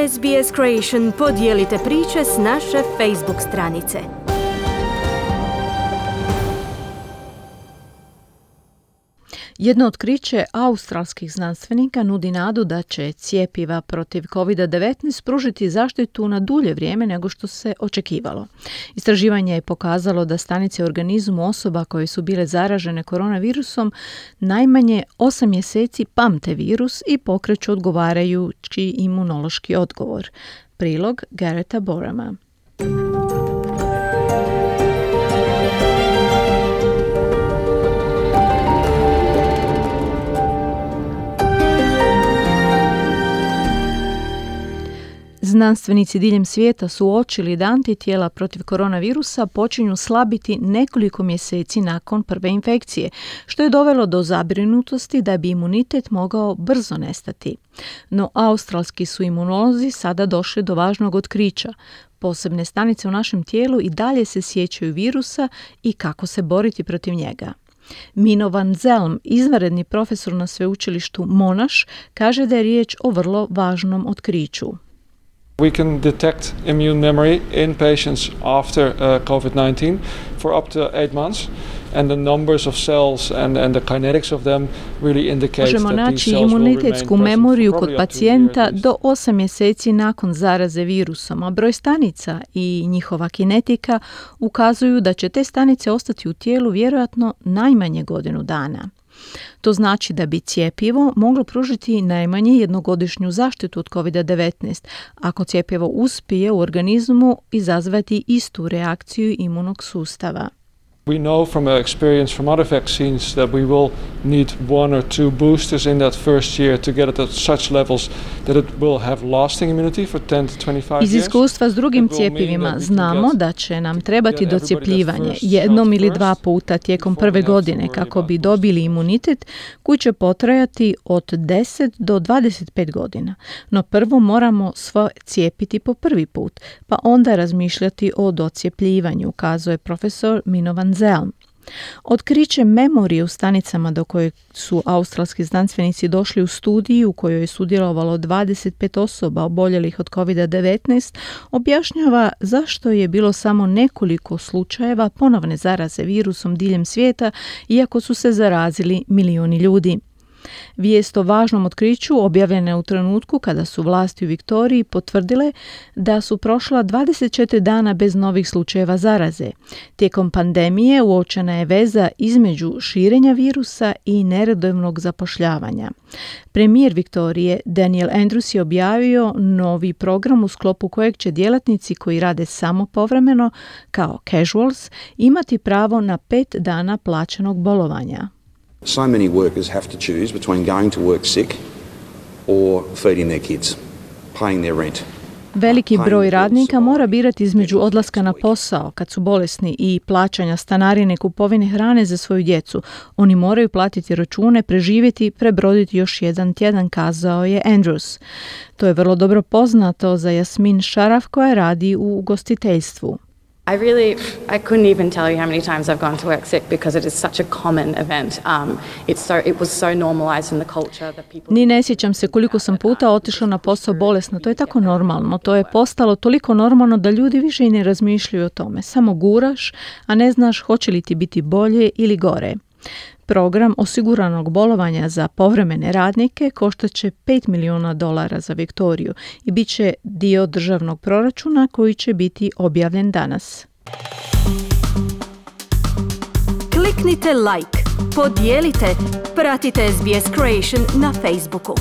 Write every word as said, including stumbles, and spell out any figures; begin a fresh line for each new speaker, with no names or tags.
S B S Creation podijelite priče s naše Facebook stranice.
Jedno otkriće australskih znanstvenika nudi nadu da će cjepiva protiv kovid devetnaest pružiti zaštitu na dulje vrijeme nego što se očekivalo. Istraživanje je pokazalo da stanice u organizmu osoba koje su bile zaražene koronavirusom najmanje osam mjeseci pamte virus i pokreću odgovarajući imunološki odgovor. Prilog Gareta Borama. Znanstvenici diljem svijeta su uočili da antitijela protiv koronavirusa počinju slabiti nekoliko mjeseci nakon prve infekcije, što je dovelo do zabrinutosti da bi imunitet mogao brzo nestati. No australski su imunolozi sada došli do važnog otkrića. Posebne stanice u našem tijelu i dalje se sjećaju virusa i kako se boriti protiv njega. Mino van Zelm, izvanredni profesor na sveučilištu Monash, kaže da je riječ o vrlo važnom otkriću.
We can detect immune memory in patients after uh, covid nineteen for up to eight months, and the numbers of cells and, and the kinetics of them really indicate
Možemo
that these
naći
cells will remain
imunitetsku
present
memoriju
for
kod
probably up to a year
pacijenta
at least.
do osam mjeseci nakon zaraze virusom, a broj stanica i njihova kinetika ukazuju da će te stanice ostati u tijelu vjerojatno najmanje godinu dana. To znači da bi cjepivo moglo pružiti najmanje jednogodišnju zaštitu od kovid devetnaest, ako cjepivo uspije u organizmu izazvati istu reakciju imunog sustava.
We know from experience from other vaccines that we will need one or two boosters in that first year to get it at such levels that it will have lasting immunity for ten to twenty-five years.
Iz iskustva s drugim cjepivima znamo da će nam trebati docjepljivanje jednom ili dva puta tijekom prve godine kako bi dobili imunitet koji će potrajati od deset do dvadeset pet godina. No prvo moramo sve cijepiti po prvi put, pa onda razmišljati o docjepljivanju, kazuje profesor Mino van Zelm. Otkriće memorije u stanicama do koje su australski znanstvenici došli u studiji u kojoj je sudjelovalo dvadeset pet osoba oboljelih od kovid devetnaest objašnjava zašto je bilo samo nekoliko slučajeva ponovne zaraze virusom diljem svijeta, iako su se zarazili milijuni ljudi. Vijest o važnom otkriću objavljena je u trenutku kada su vlasti u Viktoriji potvrdile da su prošla dvadeset četiri dana bez novih slučajeva zaraze. Tijekom pandemije uočena je veza između širenja virusa i neredovnog zapošljavanja. Premijer Viktorije Daniel Andrews je objavio novi program u sklopu kojeg će djelatnici koji rade samo povremeno, kao casuals, imati pravo na pet dana plaćenog bolovanja.
So many workers have to choose between going to work sick or feeding their kids, paying their rent.
Veliki broj radnika mora birati između odlaska na posao kad su bolesni i plaćanja stanarine i kupovine hrane za svoju djecu. Oni moraju platiti račune, preživjeti, prebroditi još jedan tjedan, kazao je Andrews. To je vrlo dobro poznato za Jasmin Šaraf koja radi u ugostiteljstvu.
I really, I couldn't even tell you how many times I've gone to work sick because it is such a common event. Um, it's so, it was so normalized in the culture that people...
Ni ne sjećam se koliko sam puta otišla na posao bolesna. To je tako normalno. To je postalo toliko normalno da ljudi više i ne razmišljaju o tome. Samo guraš, a ne znaš hoće li ti biti bolje ili gore. Program osiguranog bolovanja za povremene radnike koštaće pet milijuna dolara za Viktoriju i bit će dio državnog proračuna koji će biti objavljen danas.
Kliknite like, podijelite, pratite S B S Creation na Facebooku.